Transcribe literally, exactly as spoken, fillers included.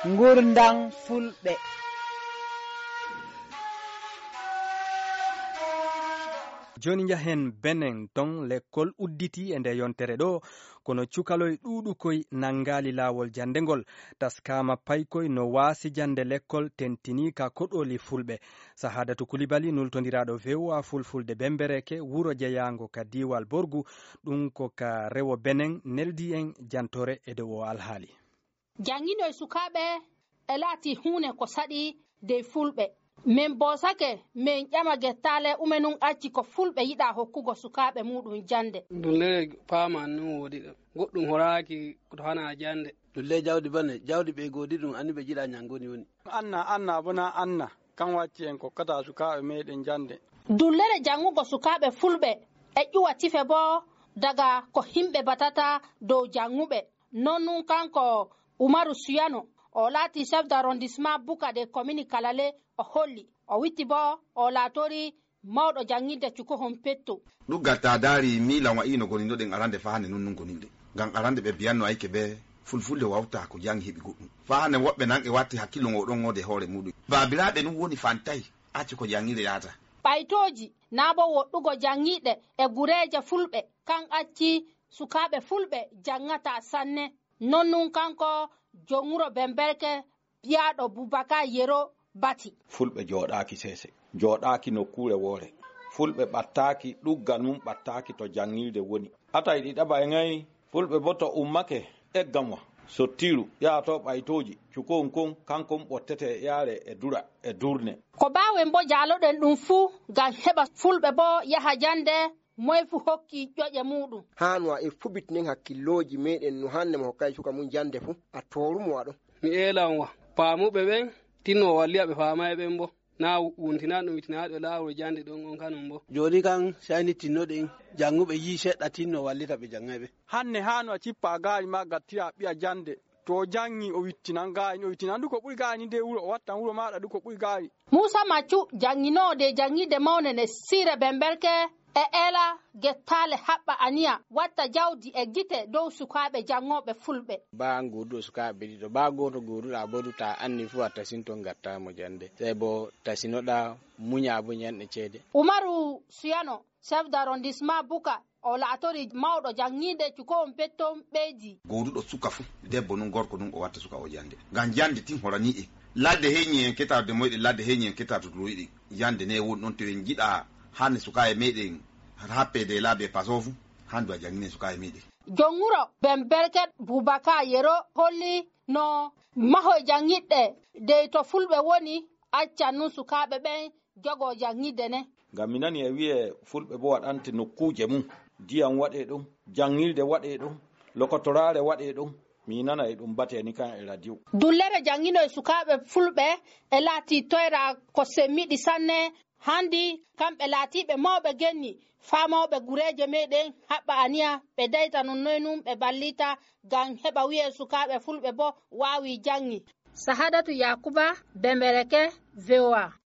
Ngurndan Fulɓe. Jooni njahen Benen, ton lekkol udditii e nde yontere ɗo, kono cukaloy ɗuuɗukoy nanngaali laawol jannde ngol. Taskaama paykoy no waasi jannde lekkol tentinii ka koɗooli Fulɓe. Sahadatu Kulibali, nultondiraaɗo V O A Fulfulde Bembereke, wuro jeyaango ka diiwal Borgu, ɗum ko ka rewo Benen, neldii en jantoore e dow o alhaali. Jannginoy sukaaɓe e laati huune ko saɗi dey Fulɓe. Min boosake, min ƴama gettaale ume nun acci ko Fulɓe yiɗaa hokkugo sukaaɓe muuɗum jannde. Dullere paama nun woodi ɗo. Goɗɗum horaaki ko to hana jannde. Dulle jawdi bane, jawdi ɓe goodi ɗum, anni ɓe jiɗaa nyanngoni woni. Anna, anna, bona anna. Kan wacci en kokkataa sukaaɓe meeɗen jannde. Dullere janngugo sukaaɓe Fulɓe e ƴuwa tife bo daga ko himɓe batata dow jannguɓe. Non nun kanko Umaru Suyano, o laati chef d'arrondissement Buka de commune Kalale, o holli. O witti bo, o laatori mawɗo janngirde Cukohon Petto. Ɗuggal ta daari miilan wa'i no goninoɗen arande faa hande nun nun goninde. Ngam arande ɓe biyanno ayke be fulfulde wawta ko jangi heɓi goɗɗum. Faa hande woɓɓe nan e watti hakkillo ngo ɗon ngode hoore muɗum. Baabiraaɓe nun woni fantay, acci ko janngirde yaata. Ɓaytooji naa bo woɗɗugo janngiiɗe e gureeje Fulɓe, kan acci sukaaɓe Fulɓe janngata sanne. Non nun kanko jom wuro Bemberke biyaaɗo Bubakar Yero bati. Fulɓe jooɗaaki seese, jooɗaaki nokkuure woore. Fulɓe ɓattaaki, ɗuggal mum ɓattaaki to janngirde woni. Atay ɗi ɗaɓay ŋay, Fulɓe bo to ummake, eggamwa, sottiiru, yaha to ɓaytooji, cukohun kon, kankun ɓottete e ƴaare e dura e durne. Ko baawen bo jaaloɗen ɗum fu, ngam heɓa Fulɓe bo yaha jannde, moy fu hokki ƴoƴe muuɗum. Haanu a e fubitinen hakkillooji meeɗen no hande mo hokkay suka mum jannde fu, a toorumo a ɗon. Mi eelan wa, paamuɓe ɓen, tinno walliya ɓe faamay ɓen bo. Naa wuntinaa ɗum wittinaaɗo laawol jannde ɗon on kanum bo. Jooni kan, sey ni tinnoɗen, jannguɓe yi'i seɗɗa tinno wallita ɓe janngay ɓe. Hanne haanu a cippa gaari maa gattira ɓiya jannde. To o janŋi, o wittinan gaari, o wittinan du ko ɓuri gaari nder wuro, o wattan wuro maaɗa du ko ɓuri gaari. Muusa Maccu, jannginoowo de janngirde mawne ne siire Bemberke, e eela gettaale haɓɓa aniya, watta jawdi e gite dow sukaaɓe janngooɓe Fulɓe. Baa an gooduɗo sukaaɓe ɗiɗo, baa gooto gooduɗaa bo du, taa anni fu a tasinto gattaamo jannde. Sey bo tasinoɗaa, muɲaa bo ɲanɗe ceede. Umaru Suyano, chef d'arrondissement Buka, o laatori mawɗo janŋiinde Cukohon Petto ɓeydi. Gooduɗo suka fu, debbo nun, gorko nun, o watta suka o jannde. Ngam jannde tin horanii en. Ladde heɲi en keta de moyɗen, ladde heɲi en keta to turoyɗen. Jannde ne woni ɗon to en jiɗa hande sukaaɓe meeɗen happe de laabi e paso fu, handu a janŋine sukaaɓe meeɗen. Jom wuro Bemberke Bubakar Yero holli no mahoy janŋirɗe dey to Fulɓe woni, accan nun sukaaɓe ɓen jogoo janŋirde nen. Ngam mi nani e wi'ee Fulɓe bo waɗante nokkuuje mum. Diyam waɗee ɗon, janŋirde waɗee ɗon, lokotoraare waɗee ɗon. Mi nana e ɗum batee ni kan e radio. Dullere janŋinoy sukaaɓe Fulɓe e laatii toyra ko semmiɗi sanne. Handi kamɓe laatiiɓe mawɓe genni, faa mawɓe gureeje meeɗen haɓɓa aniya ɓe dayta non noy nun ɓe ballita ngam heɓa wi'ee sukaaɓe Fulɓe bo waawii janŋi. Sahadatu Yakuba, Bembereke, V O A.